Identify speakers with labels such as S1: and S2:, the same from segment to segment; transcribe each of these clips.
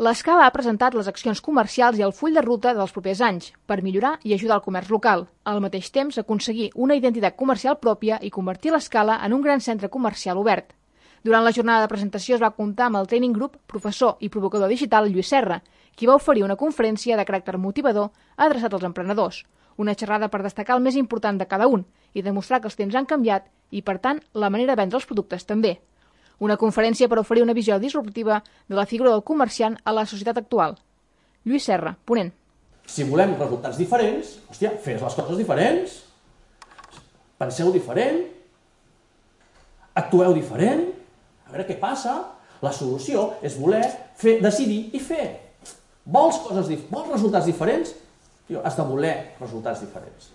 S1: L'Escala ha presentat les accions comercials i el full de ruta dels propers anys per millorar i ajudar el comerç local. Al mateix temps, aconseguir una identitat comercial pròpia i convertir l'Escala en un gran centre comercial obert. Durant la jornada de presentació es va comptar amb el Training Group, professor i provocador digital Lluís Serra, qui va oferir una conferència de caràcter motivador adreçat als emprenedors. Una xerrada per destacar el més important de cada un i demostrar que els temps han canviat i, per tant, la manera de vendre els productes també. Una conferència per oferir una visió disruptiva de la figura del comerciant a la societat actual. Lluís Serra, ponent.
S2: Si volem resultats diferents, hòstia, fes les coses diferents. Penseu diferent. Actueu diferent. A veure què passa. La solució és voler fer, decidir i fer. Vols resultats diferents? Has de voler resultats diferents.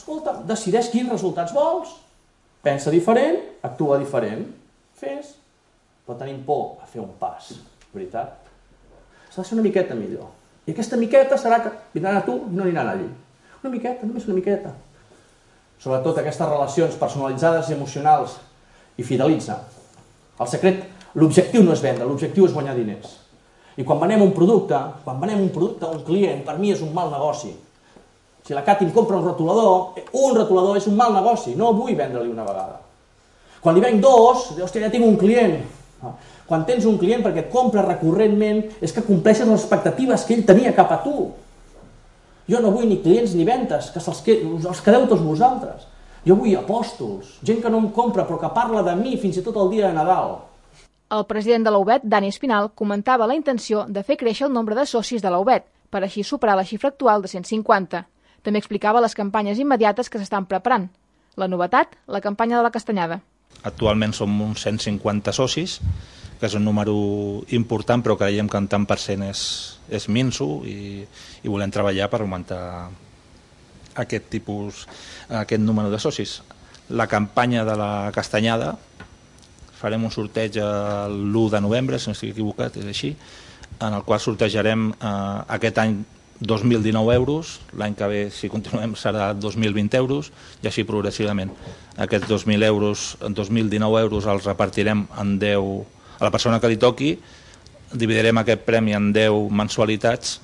S2: Escolta, decideix quins resultats vols. Pensa diferent, actua diferent. Fes. Però tenim por a fer un pas, veritat? S'ha de ser una miqueta millor. I aquesta miqueta serà que vindran a tu i no aniran allí. Una miqueta, només una miqueta. Sobretot aquestes relacions personalitzades i emocionals i fidelitza. El secret, l'objectiu no és vendre, l'objectiu és guanyar diners. I quan venem un producte a un client, per mi és un mal negoci. Si la Cati em compra un retolador és un mal negoci, no vull vendre-li una vegada. Quan li venc dos, hòstia, ja tinc un client. Quan tens un client perquè et compra recurrentment és que compleixes les expectatives que ell tenia cap a tu. Jo no vull ni clients ni ventes, que els quedeu tots vosaltres. Jo vull apòstols, gent que no em compra però que parla de mi fins i tot el dia de Nadal.
S1: El president de la UBET, Dani Espinal, comentava la intenció de fer créixer el nombre de socis de la UBET, per així superar la xifra actual de 150. També explicava les campanyes immediates que s'estan preparant. La novetat, la campanya de la castanyada.
S3: Actualment som uns 150 socis, que és un número important, però creiem que en tant per cent és minso i volem treballar per augmentar aquest número de socis. La campanya de la castanyada, farem un sorteig l'1 de novembre, si no estic equivocat, és així, en el qual sortejarem aquest any 2.019 euros, l'any que ve, si continuem, serà 2.020 euros, i així progressivament. Aquests 2.019 euros els repartirem en 10, a la persona que li toqui, dividirem aquest premi en 10 mensualitats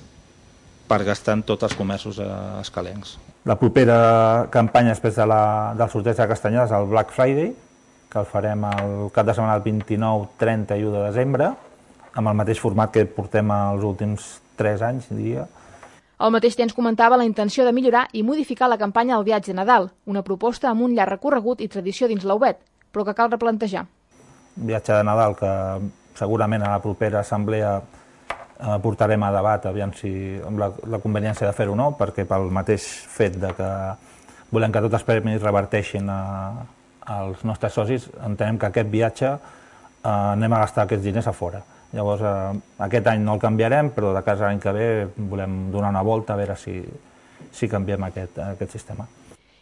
S3: per gastar en tots els comerços escalencs.
S4: La propera campanya després del sorteig de castanyada és el Black Friday, que el farem el cap de setmana del 29, 30 i 1 de desembre, amb el mateix format que portem els últims 3 anys, diria.
S1: Al mateix temps comentava la intenció de millorar i modificar la campanya del viatge de Nadal, una proposta amb un llarg recorregut i tradició dins la UBET, però que cal replantejar.
S4: Viatge de Nadal que segurament a la propera assemblea portarem a debat, aviam si amb la conveniència de fer-ho o no, perquè pel mateix fet de que volem que tots els premis reverteixin als nostres socis, entenem que aquest viatge anem a gastar aquests diners a fora. Llavors, aquest any no el canviarem, però de cas l'any que ve volem donar una volta a veure si canviem aquest sistema.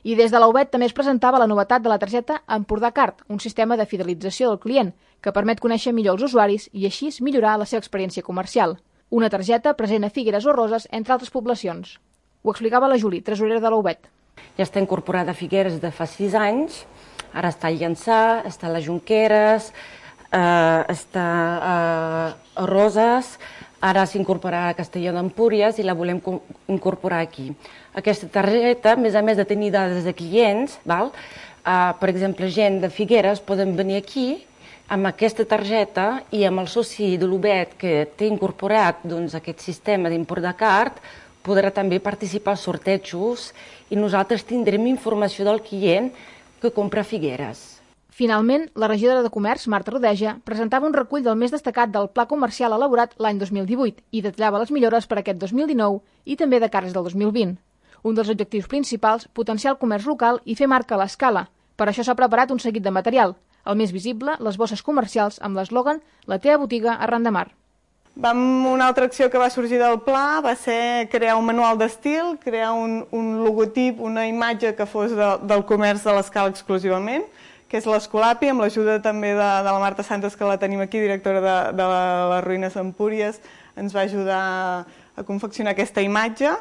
S1: I des de la UBET també es presentava la novetat de la targeta Empordà Card, un sistema de fidelització del client que permet conèixer millor els usuaris i així millorar la seva experiència comercial. Una targeta present a Figueres o Roses, entre altres poblacions. Ho explicava la Juli, tresorera de la UBET.
S5: Ja està incorporada a Figueres de fa 6 anys, ara està a Llançà, està a les Jonqueres, està a Roses, ara s'incorporarà a Castelló d'Empúries i la volem incorporar aquí. Aquesta targeta, a més de tenir dades de clients, per exemple, gent de Figueres poden venir aquí amb aquesta targeta i amb el soci de l'UBET que té incorporat aquest sistema d'Empordà Card podrà també participar als sortejos i nosaltres tindrem informació del client que compra a Figueres.
S1: Finalment, la regidora de Comerç, Marta Rodeja, presentava un recull del més destacat del pla comercial elaborat l'any 2018 i detallava les millores per a aquest 2019 i també de cares del 2020. Un dels objectius principals, potenciar el comerç local i fer marca a l'escala. Per això s'ha preparat un seguit de material. El més visible, les bosses comercials amb l'eslògan «La teva botiga arran de mar».
S6: Una altra acció que va sorgir del pla va ser crear un manual d'estil, crear un logotip, una imatge que fos del comerç de l'escala exclusivament, que és l'Escolapi, amb l'ajuda també de la Marta Santos, que la tenim aquí, directora de les Ruïnes Empúries, ens va ajudar a confeccionar aquesta imatge.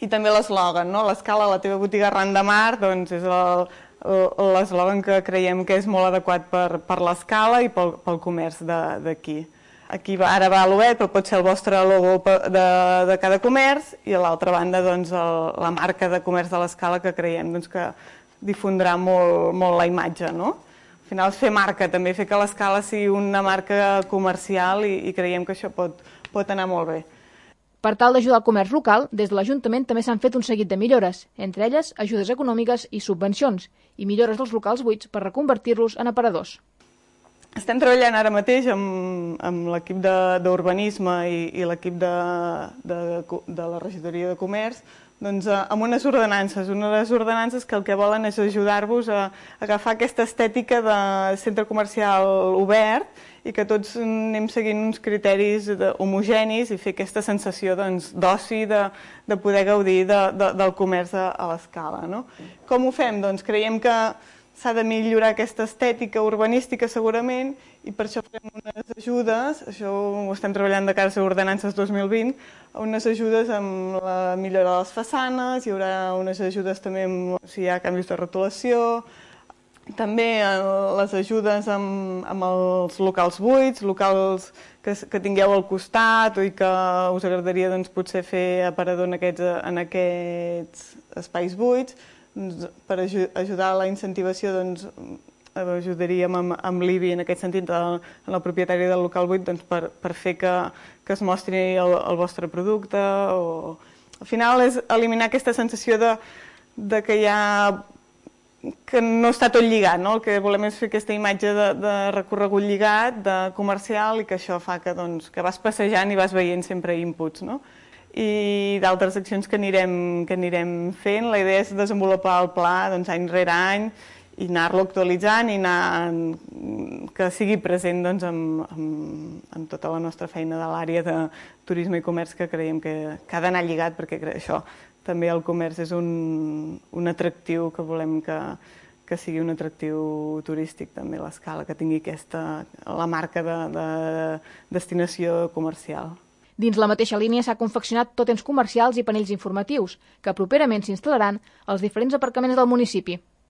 S6: I també l'eslògan, l'escala, la teva botiga arran de mar, doncs és l'eslògan que creiem que és molt adequat per l'escala i pel comerç d'aquí. aquí ara va l'Obert, però pot ser el vostre logo de cada comerç, i a l'altra banda doncs, la marca de comerç de l'Escala, que creiem doncs, que difondrà molt la imatge, no? Al final és fer marca, també fer que l'Escala sigui una marca comercial, i creiem que això pot anar molt bé.
S1: Per tal d'ajudar el comerç local, des de l'Ajuntament també s'han fet un seguit de millores, entre elles ajudes econòmiques i subvencions, i millores dels locals buits per reconvertir-los en aparadors.
S6: Estem treballant ara mateix amb l'equip d'urbanisme i l'equip de la regidoria de comerç doncs, amb unes ordenances que el que volen és ajudar-vos a agafar aquesta estètica de centre comercial obert i que tots anem seguint uns criteris homogenis i fer aquesta sensació d'oci, de poder gaudir del comerç a l'Escala. Com ho fem? Doncs creiem que s'ha de millorar aquesta estètica urbanística segurament, i per això fem unes ajudes, això ho estem treballant de cara a ordenances 2020, unes ajudes amb la millora de les façanes, hi haurà unes ajudes també si hi ha canvis de rotulació, també les ajudes amb els locals buits, locals que tingueu al costat i que us agradaria potser fer aparador en aquests espais buits. Per ajudar a la incentivació ajudaríem amb l'IBI en aquest sentit, en la propietària del local buit, per fer que es mostri el vostre producte. Al final és eliminar aquesta sensació que no està tot lligat. El que volem és fer aquesta imatge de recorregut lligat, de comercial, i que això fa que vas passejant i vas veient sempre inputs. I d'altres accions que anirem fent. La idea és desenvolupar el pla any rere any i anar-lo actualitzant i que sigui present en tota la nostra feina de l'àrea de turisme i comerç, que creiem que ha d'anar lligat, perquè això també el comerç és un atractiu que volem que sigui un atractiu turístic també a l'Escala, que tingui la marca de destinació comercial.
S1: Dins la mateixa línia s'ha confeccionat tòtems comercials i panells informatius, que properament s'instal·laran als diferents aparcaments del municipi.